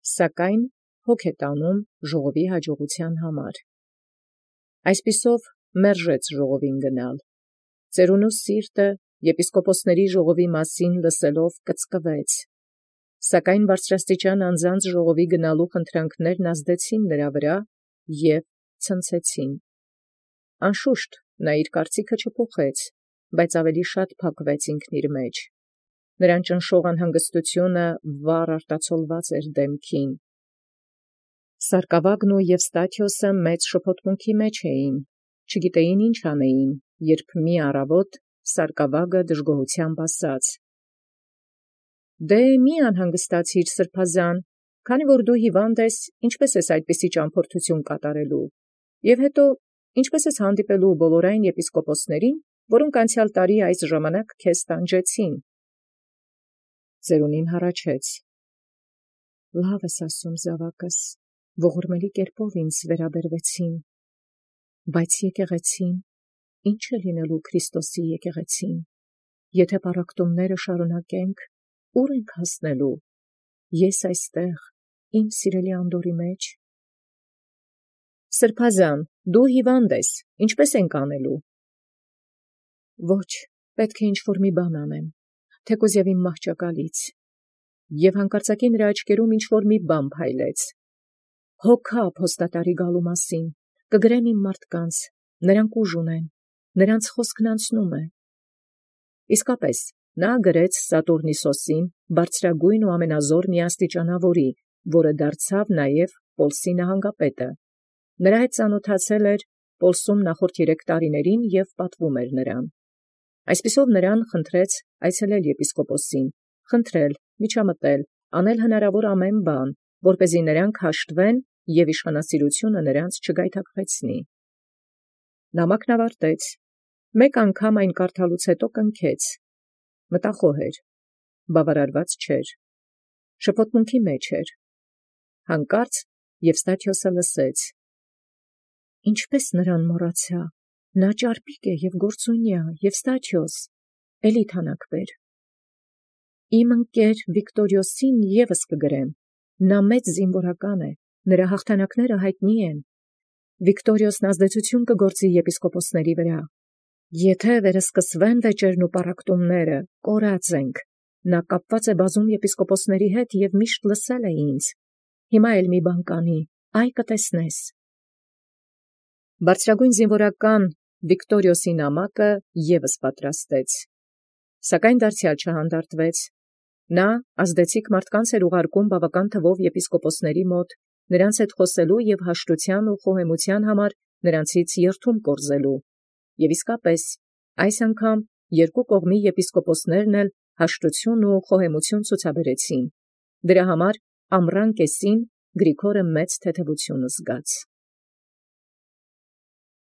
Սակայն հոգ է տանում ժողովի հաջողութեան համար։ Այսպիսով մերժեց ժողովին գնալ։ Ծերունու սիրտը եպիսկոպոսների ժողովի մասին լսելով կծկվեց։ Սակայն բարձրաստիճան անձանց ժողովի գնալու խնդրանքներն ազդեցին նրա վրա և ցնցեցին։ Անշուշտ նա իր կարծիքը չփոխեց, բայց ավելի շատ փակվեց ինքն իր մեջ։ Նրան ճնշող անհանգստությունը վառ արտացոլված էր դեմքին։ Սարկավագն և Եվստաթիոսը մեծ շփոթմունքի մեջ էին, չգիտեին ինչ անեին, երբ մի առավոտ Սարկավագը դժգոհութեամբ ասաց. «Դե մի անհանգստացիր, սրբազան, քանի որ դու հիվանդ ես, ինչպէս ես այդպիսի ճամփորդութիւն կատարելու, և հետո ինչպէս ես հանդիպելու բոլոր այն եպիսկոպոսներին, որոնք անցեալ տարի այս ժամանակ քեզ տանջեցին»։ Ծերունին հառաչեց. «Լավ ես ասում, զաւակս, ողորմելի կերպով ինձ վերաբերվեցին, բայց եկեղեցին, ի՞նչ է լինելու Քրիստոսի եկեղեցին, եթէ պառակտումները շարունակենք, ուր ենք հասնելու, ես այստեղ իմ սիրելի անդորի մեջ։ Սրբազան, դու հիվանդ ես, ինչպէս ենք անելու։ Ոչ, պետք է ինչ-որ մի բան անեմ, թեկուզ և իմ մահճակալից։ Եւ հանկարծակի նրա աչքերում ինչ-որ մի բան փայլեց։ Հոգա փոստատարի գալու մասին, կգրեմ իմ մարդկանց, նրանք ուժ ունեն, նրանց խոսքն անցնում է։ Իսկապես, նա գրեց Սատուրնիսոսին, բարձրագույն ու ամենազոր միաստիճանաւորի, որը դարձավ նաև Պոլսի նահանգապետը։ Նրա հետ ծանոթացել էր Պոլսում նախորդ 3 տարիներին և պատվում էր նրան։ Այսպիսով նրան խնդրեց այցելել եպիսկոպոսին, խնդրել, միջամտել, անել հնարավոր ամեն բան, որպեսզի նրանք հաշտվեն և իշխանասիրությունը նրանց չգայթակղեցնի։ Նամակն ավարտեց, մեկ անգամ այն կարդալուց հետո կնքեց, մտախոհ էր, բավարարված չէր, շփոթմունքի մեջ էր։ Հանկարծ Եվստաթիոսը լսեց. «Ինչպէս նրան մոռացայ, նա ճարպիկ է և գործունյա, Եվստաթիոս, էլի թանաք բեր։ Իմ ընկեր Վիկտորիոսին ևս կգրեմ, նա մեծ զինվորական է, նրա հաղթանակները յայտնի են։ Վիկտորիոսն ազդեցություն կգործի եպիսկոպոսների վրա։ Եթէ վերսկսվեն վեճերն ու պառակտումները, կորած ենք, նա կապված է բազում եպիսկոպոսների հետ և միշտ լսել է ինձ։ Հիմա էլ մի բան կանի, այ կտեսնես»։ Բարձրագույն զինվորական Վիկտորիոսի նամակը ևս պատրաստեց, սակայն դարձյալ չհանդարտվեց։ Նա ազդեցիկ մարդկանց էր ուղարկում բավական թվով եպիսկոպոսների մոտ, նրանց հետ խոսելու և հաշտութեան ու խոհեմութեան համար նրանցից երդում կորզելու։ Եվ իսկապես, այս անգամ երկու կողմի եպիսկոպոսներն էլ հաշտություն ու խոհեմություն ցուցաբերեցին։ Դրա համար ամռան կեսին Գրիգորը մեծ թեթևություն զգաց։